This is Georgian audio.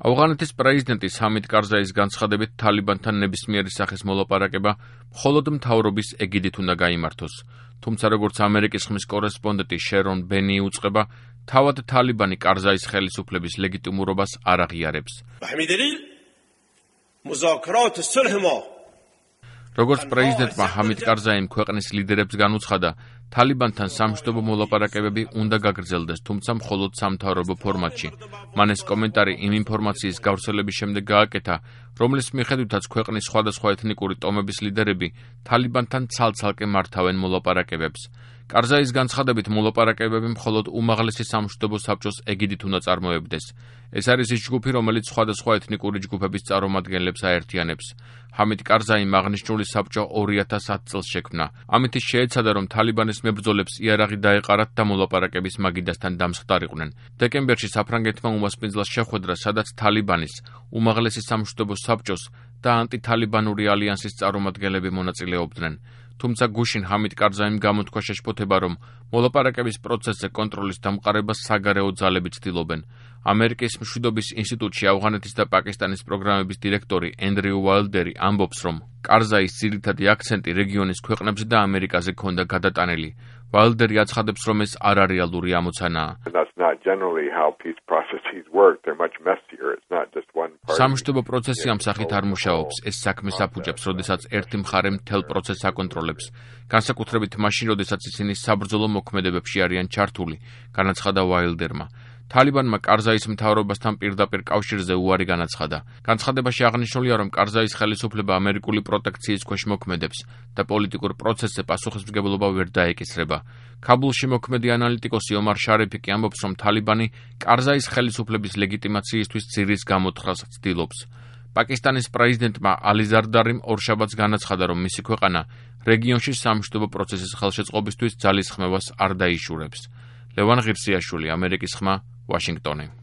ავღანეთის პრეზიდენტის ჰამიდ კარზაის განცხადებით თალიბანთან ნებისმიერი სახის მოლაპარაკება მხოლოდ მთავრობის ეგიდით უნდა გაიმართოს. თუმცა როგორც ამერიკის ხმის კორესპონდენტი შერონ ბენი უწყება, თავად თალიბანი კარზაის ხელისუფლების ლეგიტიმურობას არ აღიარებს. როგორც პრეზიდენტმა ჰამიდ კარზაიმ ქვეყნის ლიდერებს განუცხადა, თალიბანთან სამშვიდობო მოლაპარაკებები უნდა გაგრძელდეს, თუმცა მხოლოდ სამთავრობო ფორმატში. მან ეს კომენტარი იმ ინფორმაციის გავრცელების შემდეგ გააკეთა, რომლის მიხედვითაც ქვეყნის სხვადასხვა ეთნიკური ტომების ლიდერები თალიბანთან ცალ-ცალკე მართავენ მოლაპარაკებებს. კარზაის განცხადებით მოლაპარაკებები მხოლოდ უმაღლესი სამშვიდობო საბჭოს ეგიდით უნდა წარმოებდეს. ეს არის ის ჯგუფი, რომელიც სხვადასხვა ეთნიკური ჯგუფების წარმომადგენლებს აერთიანებს. ჰამიდ კარზაიმ აღნიშნული საბჭო 2010 წელს შექმნა. ამით ის შეეცადა, რომ თალიბანის მებრძოლებს იარაღი დაეყარათ და მოლაპარაკების მაგიდასთან დამსხდარიყვნენ. დეკემბერში საფრანგეთმა უმასპინძლას შეხვედრა, სადაც თალიბანის, უმაღლესი სამშვიდობო საბჭოს და ანტითალიბანური ალიანსის წარმომადგენლები მონაწილეობდნენ. თუმცა გუშინ ჰამიდ კარზაიმ გამოთქვა შეშფოთება, რომ მოლაპარაკების პროცესზე კონტროლის დამყარებას საგარეო ძალები ცდილობენ. ამერიკის მშვიდობის ინსტიტუტში ავღანეთის და პაკისტანის პროგრამების დირექტორი ენდრიუ ვალდერი ამბობს, რომ კარზაის ძირითადი აქცენტი რეგიონის ქვეყნებზე და ამერიკაზე ჰქონდა გადატანილი. ვალდერი აცხადებს, რომ ეს არარეალური ამოცანაა. სამშვიდობო პროცესი ამ სახით არ მუშაობს. ეს საქმეს აფუჭებს, როდესაც ერთი მხარე მთელ პროცესს აკონტროლებს. განსაკუთრებით მაშინ, როდესაც ისინი საბრძოლო მოქმედებებში არიან ჩართული, განაცხადა ვალდერმა. თალიბანმა კარზაის მთავრობასთან პირდაპირ კავშირზე უარი განაცხადა. განცხადებაში აღნიშნულია, რომ კარზაის ხელისუფლება ამერიკული პროტექციის ქვეშ მოქმედებს და პოლიტიკურ პროცესზე პასუხისმგებლობა ვერ დაეკისრება. ქაბულში მოქმედი ანალიტიკოსი ომარ შარიფი კი ამბობს, რომ თალიბანი კარზაის ხელისუფლების ლეგიტიმაციისთვის ძირის გამოთხრას ცდილობს. პაკისტანის პრეზიდენტმა ალი ზარდარიმ ორშაბათს განაცხადა, რომ მისი ქვეყანა რეგიონში სამშვიდობო პროცესის ხელშეწყობისთვის ძალის ხმევას არ დაიშურებს. ლევან ღირსიაშვილი, ამერიკის ხმა, ვაშინგტონი.